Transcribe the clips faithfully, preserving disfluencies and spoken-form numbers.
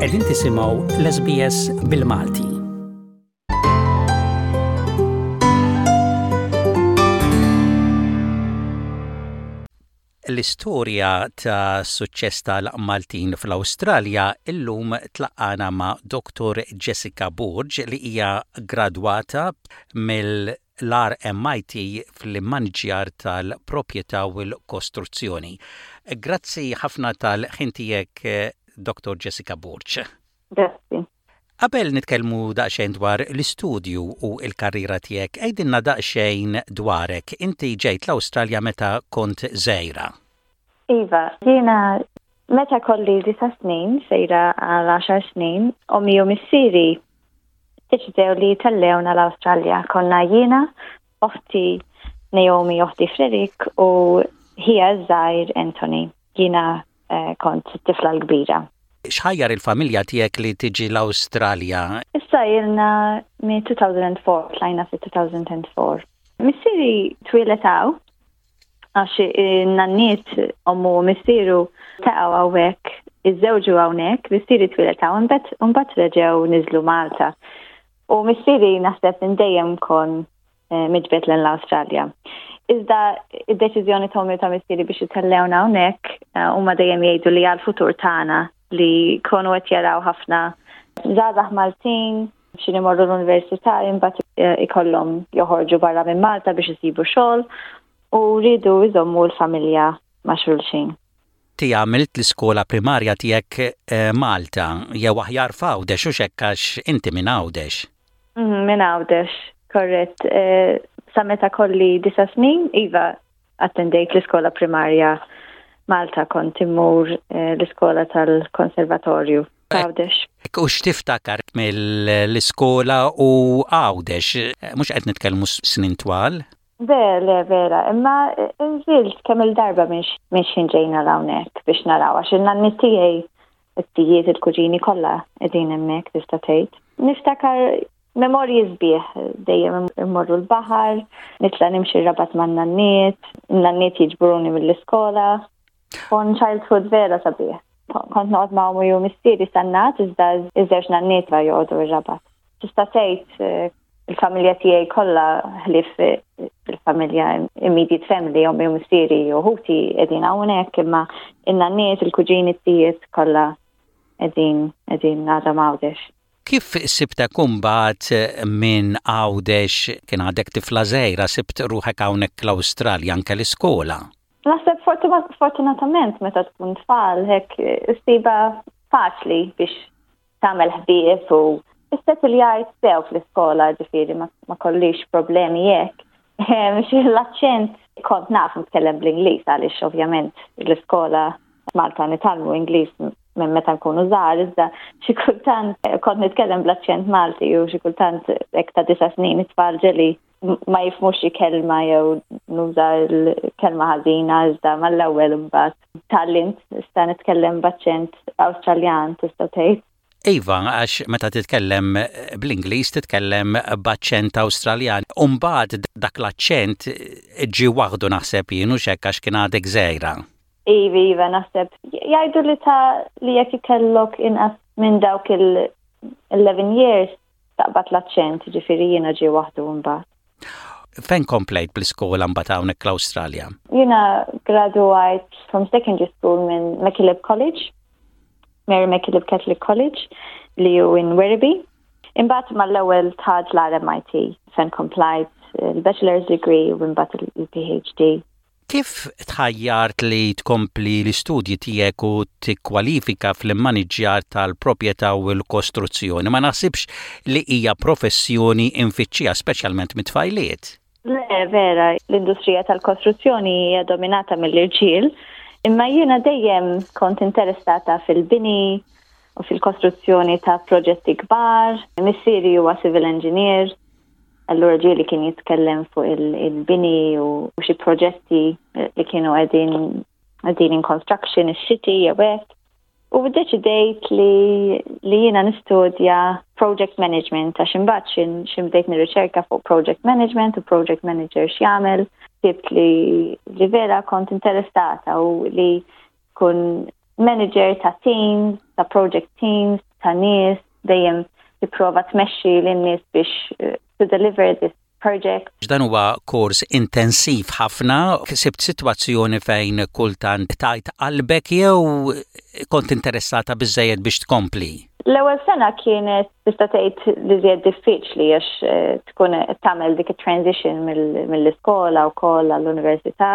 Qegħdin tisimgħu l-S B S bil-Malti. L-istorja ta' suċċess tal-Maltin fl-Awstralja illum tlaqqagħna ma' Doktor Jessica Borg, li hija gradwata mill-R M I T fl-immaniġjar tal-proprjetà u l-kostruzzjoni. Grazzi ħafna tal-ħin tiegħek, Doktor Jessica Borg. Grazzi. Qabel nitkellmu daqsxejn dwar l-istudju u l-karriera tiegħek, għidilna daqsxejn dwarek. Inti ġejt l-Awstralja meta kont żgħira. Iva, jiena meta kelli disa' snin, sejra għal għaxar snin, ommi u missieri deċidew li tellewna l-Awstralja. Konna jiena, oħti Naomi, oħti Frederick u ħija żgħir Anthony. Jiena eh, kont tifla l-kbira. X'ħajjar il-familja tiegħek li tiġi l-Awstralja? Issa ilna minn elfejn u erbgħa, tlajna fi elfejn u erbgħa. Missieri twieled hawn, għax in-nanniet, ommu u missieru ltaqgħu hawnhekk, iżżewġu hawnhekk, missieri twieled hawn, mbagħad reġgħu niżlu Malta. U missieri naħseb minn dejjem kon eh, miġbed l-Awstralja. Iżda id-deċiżjoni ta' ommi ta' missieri biex itellewna hawnhekk, eh, huma dejjem jgħidu li għal-futur tagħna, li kienu qed jaraw ħafna żgħażagħ Maltin xi imorru l-università, imbagħad eh, ikollhom joħorġu barra minn Malta biex isibu xogħol, u rridu jżommu l-familja ma' xulxin. Inti għamilt l-iskola primarja tiegħek eh, Malta, jew aħjar f'Għawdex, u hekk għax inti minn Għawdex. Mhm, minn Għawdex, korrett. Eh, sa meta kelli disa' snin, iva, attendejt l-iskola primarja Malta, kont immur eh, l-iskola tal-konservatorju Għawdex. U x'tiftakar mill-iskola u Għawdex? Mhux qed nitkellmu snin twal? Le, le, vera, imma nżilt kemm il-darba minn xħin ġejna hawnhekk biex naraw, għax in-nanniet tiegħi, it-tijiet, il-kuġini kollha qegħdin hemmhekk, tista' tgħid. Niftakar memorji sbieħ, dejjem immorru l-baħar, nitla' nimxi r-Rabat man-nanniet, in-nanniet jiġburuni mill-iskola. Kien childhood vera sabiħ. Kont noqgħod ma' ommi u missieri Sannat, iżda iż-żewġ nanniet va joqogħdu r-Rabat. Tista' tgħid eh, il-familja tiegħi kollha, ħlief eh, il-familja immediate family, ommi u missieri u ħuti qegħdin hawnhekk, imma in-nanniet, il-kuġini, t-tijiet kollha qegħdin qegħdin għadhom Għawdex. Kif sibtek imbagħad minn Għawdex, kien għadek tifla żgħira, sibt ruħek hawnhekk l-Awstralja, anke l-iskola? Naħseb fortunatament meta tkun tfal hekk issibha faċli biex tagħmel ħbieb u issettiljajt sew fl-iskola, ġifieri ma, ma kellix problemi hekk. L-aċċent, kont naf nitkellem bl-Ingliż għaliex ovvjament l-iskola Malta nitgħallmu Ingliż minn meta nkunu żgħar, iżda xi kultant kont nitkellem bl-aċċent Malti u xi kultant hekk ta' disa' snin it-tfal ġieli ma jifhmux xi kelma jew nuża l-kelma ħażina, iżda mal-ewwel imbagħad tgħallimt nista' nitkellem b'aċċent Awstraljan, tista' tgħid. Iva, għax meta titkellem bl-Ingliż titkellem b'aċċent Awstraljan. Umbagħad dak l-aċċent ġi waħdu, naħseb jien, u hekk għax kien għadek żgħira. Iva, iva, naħseb jgħidu li ta' li jekk ikellok inqas minn dawk il-eleven years taqbad l-aċċent, ġifieri jiena ġi waħdu mbagħad. Fejn komplejt bl-iskola mbagħad hawnhekk l-Awstralja? Jiena graduate from secondary school minn MacKillop College, Mary MacKillop Catholic College, li hu in Werribee. Imbagħad mal-ewwel dħalt l-R M I T fejn komplejt il-bachelor's degree u imbagħad il-P H D. Kif tħajjart li tkompli l-istudji tiegħek u tikkwalifika fl-immaniġjar tal-proprjetà u l-kostruzzjoni? Ma naħsibx li hija professjoni imfittxija, speċjalment mit-tfajliet. Le, vera, l-industrija tal-kostruzzjoni hija dominata mill-irġiel, imma jiena dejjem kont interessata fil-bini u fil-kostruzzjoni ta' proġetti kbar. Missieri huwa civil engineer, allura ġieli kien jitkellem fuq il-bini u xi proġetti li kienu qegħdin qegħdin in construction, is-city jew hekk. U deċidejt li, li jiena nistudja project management, għax imbagħad xħin xħin bdejt nirriċerka fuq project management u project manager x'jagħmel, sibt li, li vera kont interessata u li kun manager ta' teams, ta' project teams, ta' nies, dejjem tipprova tmexxi lin-nies biex eh, to deliver this project. Dan huwa kors intensiv ħafna, sibt sitwazzjoni fejn kultant tajt qalbek jew kont interessata biżejjed biex tkompli? L-ewwel sena kienet tista' tgħid li żjed diffiċli għax eh, tkun tagħmel dik it-transition mill-iskola wkoll għall-università.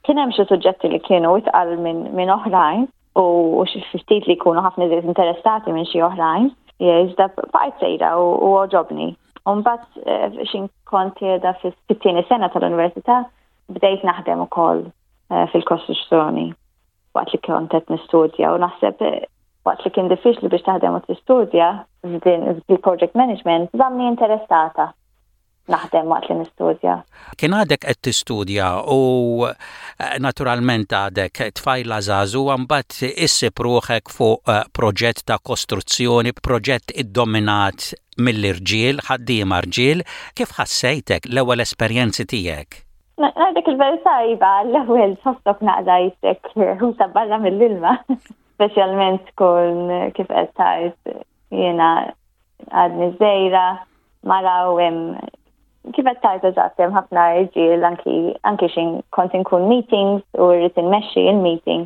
Kien hemm xi suġġetti li kienu itqal minn oħrajn u xi ftit li jkunu ħafna iżjed interessati minn xi oħrajn. Iżda bqajt sejra u għoġobni. U mbagħad eh, xin kont qiegħda fit-tieni sena tal-università bdejt naħdem ukoll eh, fil-kostruzzjoni waqt li kont qed nistudja u naħseb eh, waqt li kien diffiċli biex taħdem u tistudja f'din il-project management, żammni interessata naħdem waqt li nistudja. Kien għadek qed tistudja u eh, naturalment għadek tfajla żagħżugħa, mbagħad issib ruħek fuq eh, proġett ta' kostruzzjoni, proġett iddominat mill-irġiel, ħaddiema rġiel, kif ħassejtek l-ewwel esperjenzi tiegħek? Ngħidlek il-verità, iva, l-ewwel tħossok naqra qisek ħuta barra mill-ilma. Speċjalment tkun kif qed tgħid jiena għadni żgħira, mara u hemm kif qed tgħid eżatt hemm ħafna irġiel anki anki xin kont inkun meetings u rrid inmexxi il-meeting.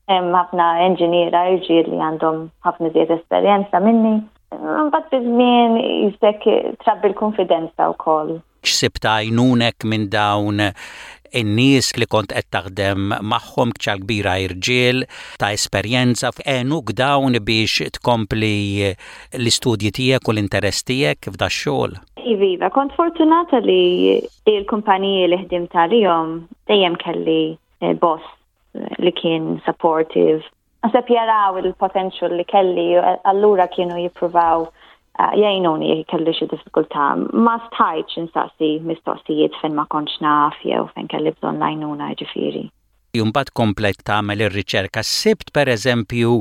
Hemm ħafna enġiniera irġiel li għandhom ħafna żied esperjenza minni. Mbagħad biż-żmien qisek trabbi l-konfidenza wkoll. X'sibt għajnunek minn dawn in-nies li kont qed taħdem magħhom, biċċa kbira irġiel ta' esperjenza, għenuk dawn biex tkompli l-istudji tiegħek u l-interess tiegħek f'da xogħol? Iva, kont fortunata li l-kumpaniji li ħdimt għalihom dejjem kelli eh, boss li kien supportive. Naħseb jaraw il-potential li kelli, allura kienu jippruvaw eh, jgħinuni jekk kelli xi diffikultà. Ma stajtx insaqsi mistoqsijiet fejn ma kontx naf jew fejn kelli bżonn l-għajnuna, ġifieri. Imbagħad komplejt tagħmel ir-riċerka. Sibt pereżempju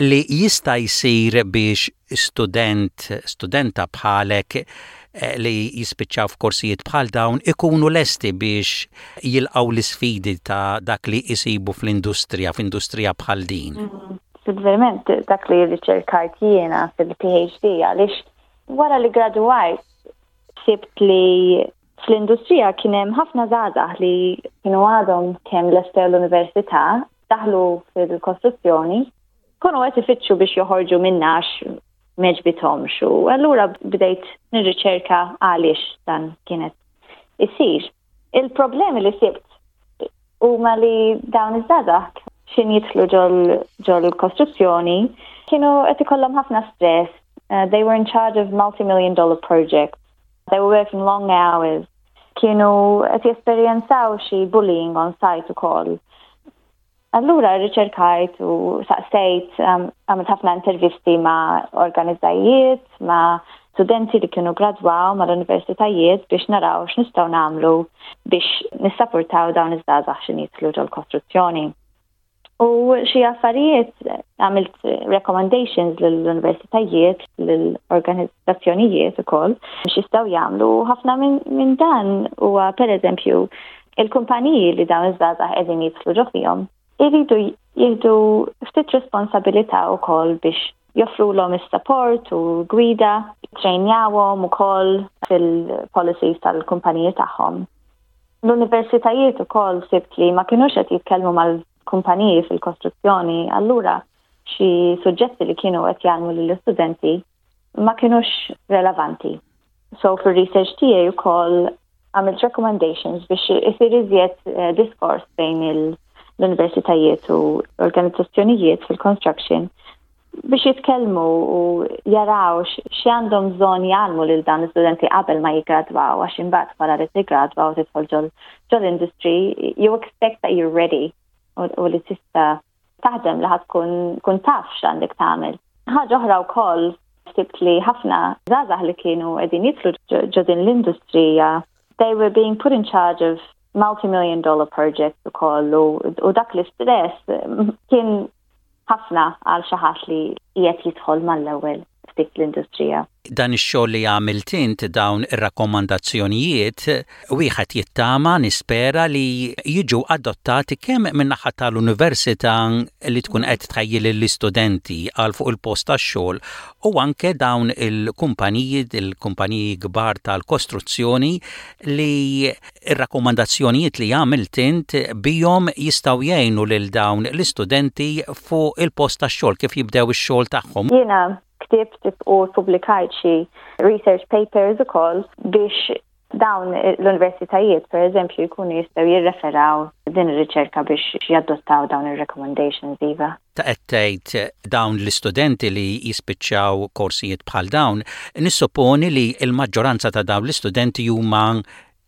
li jista' jsir biex student, studenta bħalek eh, li jispiċċaw f'korsijiet bħal dawn ikunu lesti biex jilqgħu l-isfidi ta' dak li jisibu fl-industrija, f'industrija bħal din? Mm-hmm. Fil-verament dak li riċerkajt jiena fil-P H D, għaliex wara li graduajt sibt li fl-industrija kien hemm ħafna żgħażagħ li kienu għadhom kemm lestew l-università, daħlu fil-kostruzzjoni, kienu qed ifittxu biex joħorġu minnha għax m'għoġbithomx u allura bdejt nirriċerka għaliex dan kienet isir. Il-problemi li sibt huma li dawn iż-żgħażagħ xin jidħlu ġol kostruzzjoni kienu qed ikollhom ħafna stress. Uh, they were in charge of multi-million dollar projects. They were working long hours. Kienu qed jesperjenzaw xi bullying on site ukoll. Allura riċerkajt u saqsejt, um, għamilt ħafna intervisti ma' organizzajiet, ma' studenti li kienu gradwaw mal-universitajiet biex naraw x'nistgħu nagħmlu biex nissapportaw dawn iż-żgħażagħ x'in jidħlu ġol-kostruzzjoni. U xi affarijiet għamilt recommendations lill-universitajiet, lill-organizzazzjonijiet ukoll x'jistgħu jagħmlu. Ħafna minn min dan huwa pereżempju il-kumpaniji li dawn iż-żgħażagħ qegħdin jidħlu ġo fihom iridu jieħdu ftit responsabilità wkoll biex joffrulhom is-support u gwida, trejnjawhom ukoll fil-policies tal-kumpaniji tagħhom. L-universitajiet ukoll sibt li ma kinux qed jitkellmu mal-kumpaniji fil-kostruzzjoni, allura xi suġġetti li kienu qed jgħallmu lill-istudenti ma kinux relevanti. So fil-research tiegħi wkoll għamilt recommendations biex isir iżjed eh, diskors bejn l-universitajiet u organizzazzjonijiet fil-construction biex jitkellmu u jaraw x'għandhom bżonn jgħallmu lil dan l-istudenti qabel ma jiggradwaw, għax imbagħad wara li tiggradwa u tidħol ġol industry, you expect that you're ready u li tista' taħdem, li ħa tkun kun taf x'għandek tagħmel. Ħaġa oħra wkoll sibt li ħafna żgħażagħ li kienu qegħdin jidħlu ġo din l-industrija, they were being put in charge of multi-million dollar projects ukoll u dak l-istress kien ħafna għal xi ħadd li qiegħed jidħol mal-ewwel. f'dik l-industrija. Dan ix-xogħol li għamilt int, dawn ir-rakkomandazzjonijiet, wieħed jittama, nispera li jiġu adottati kemm min-naħa tal-università li tkun qed tħejji lill-istudenti għal fuq il-post tax-xogħol u anke dawn il-kumpaniji, il-kumpaniji kbar tal-kostruzzjoni, li ir-rakkomandazzjonijiet li għamilt int bihom jistgħu jgħinu lil dawn l-istudenti fuq il-post tax-xogħol kif jibdew ix-xogħol tagħhom. Jiena ktibt u publikajt xi research papers ukoll biex dawn l-universitajiet, per eżempju, jkunu jistgħu jirreferaw din ir-riċerka biex jadottaw dawn ir-recommendations, iva. Ta' qed tgħid dawn l-istudenti li jispiċċaw korsijiet bħal dawn, nissupponi li l-maġġoranza ta' dawn l-istudenti huma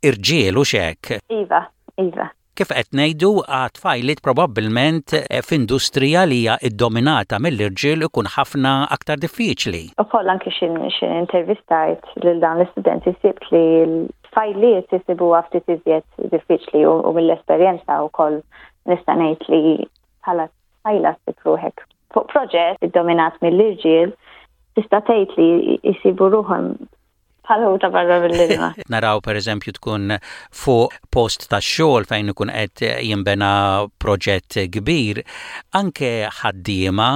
irġiel, hux hekk? Iva, iva. Kif qed ngħidu, għat-tfajliet probabbilment eh, f'industrija li hija iddominata mill-irġiel ikun ħafna aktar diffiċli. Ukoll anki x'ħin intervistajt lil dawn l-istudenti sibt li l-tfajliet jisibuha ftit iżjed diffiċli u, u mill-esperjenza wkoll nista' ngħid li bħala tfajla ssib ruħek fuq proġett iddominat mill-irġiel, tista' tgħid li jsibu ruħhom bħal ħuta barra mill-ilma. Naraw, per eżempju, tkun fuq post ta' xogħol fejn ikun qed jinbena proġett kbir, anke ħaddiema,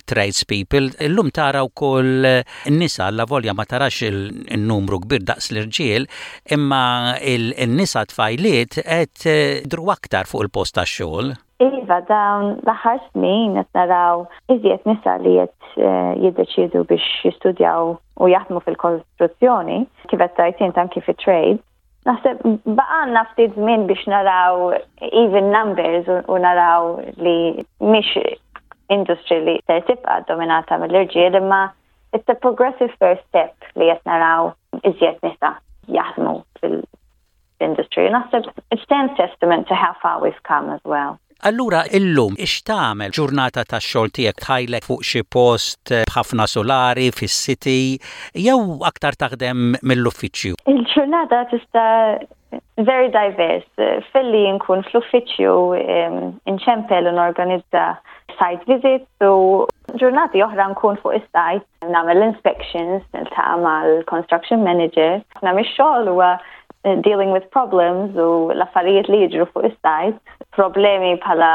tradespeople, illum tara wkoll nisa, la volja ma tarax il-numru kbir daqs l-irġiel, imma il-nisa, tfajliet qed jidhru aktar fuq il-post ta' xogħol. Iva, dawn l-aħħar snin qed naraw iżjed nisa li qed eh, jiddeċiedu biex jistudjaw u jaħdmu fil-kostruzzjoni, kif qed tgħid int, anki fit-trade. Naħseb baqgħalna ftit żmien biex naraw even numbers u naraw li mhix industry li ser tibqa' dominata mill-irġiel, imma it's a progressive first step li qed naraw iżjed nisa jaħdmu fil-industry. Naħseb it stands testament to how far we've come as well. Allura illum x'tagħmel ġurnata ta' xogħol tiegħek? Tħajlek fuq xi post b'ħafna solari fis-city jew aktar taħdem mill-uffiċċju? Il-ġurnata tista' very diverse. Filli nkun fl-uffiċċju inċempel u norganizza site visits u ġurnati oħra nkun fuq is-site nagħmel inspections, niltaqa' mal-construction manager. Nagħmel xogħol huwa eh, dealing with problems u l-affarijiet li jiġru fuq is-site, problemi bħala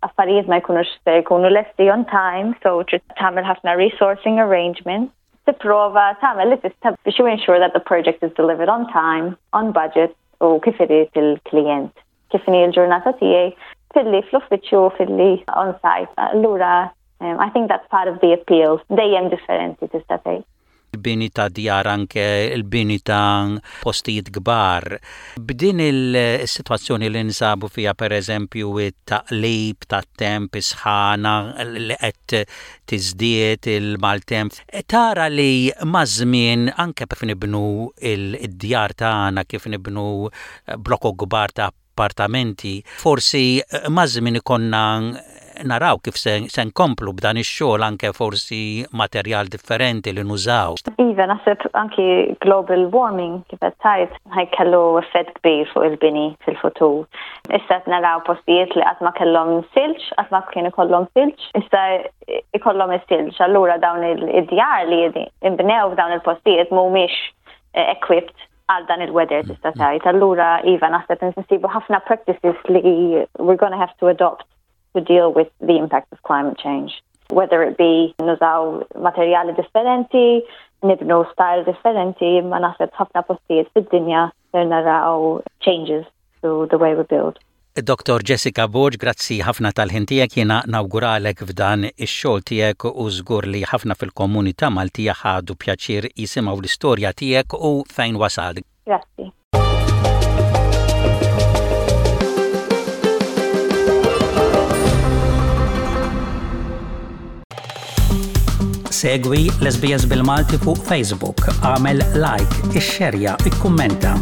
affarijiet ma jkunux se jkunu lesti on time, so trid tagħmel ħafna resourcing arrangements. Tipprova tagħmel li tista' biex you ensure that the project is delivered on time, on budget u kif irid il-klient. Kif inhi l-ġurnata tiegħi filli fl-uffiċċju, filli on site. Allura um, I think that's part of the appeal. Dejjem differenti, tista' tgħid. Il-bini ta' djar, anke il-bini ta' postijiet kbar. B'din il-situazzjoni li nsabu fija, per eżempju, it-taqlib ta' temp, isħana li qed tiżdied, il-maltemp, tara li maż-żmien anke kif nibnu il-djar tagħna, kif nibnu blokok kbar ta' appartamenti, forsi maż-żmien ikollna naraw kif se, se nkomplu b'dan ix-xogħol, anke forsi materjal differenti li nużaw. Iva, naħseb anki global warming, kif qed tgħid, ħa jkollu effett kbir fuq il-bini fil-futur. Issa qed naraw postijiet li qatt ma kellhom silġ, qatt ma kienu ikollhom silġ, issa ikollhom is-silġ. Allura dawn il-djar li inbnew f'dawn il-postijiet mhumiex eh, equipped għal dan il-weather, tista' tgħid. Allura iva, naħseb nsibu ħafna practices li we're gonna have to adopt to deal with the impact of climate change. Whether it be nużaw materjali differenti, nibnu style differenti, ma naħseb ħafna postijiet fid-dinja ser naraw changes to the way we build. Doktor Jessica Borg, grazzi ħafna tal-ħin tiegħek. Jiena nawguralek f'dan ix-xogħol tiegħek u żgur li ħafna fil-komunità Maltija ħadu pjaċir jisimgħu l-istorja tiegħek u fejn wasal. Grazzi. Segwi l-S B S bil-Malti fuq Facebook, għamel like, ixxerja, ikkummenta.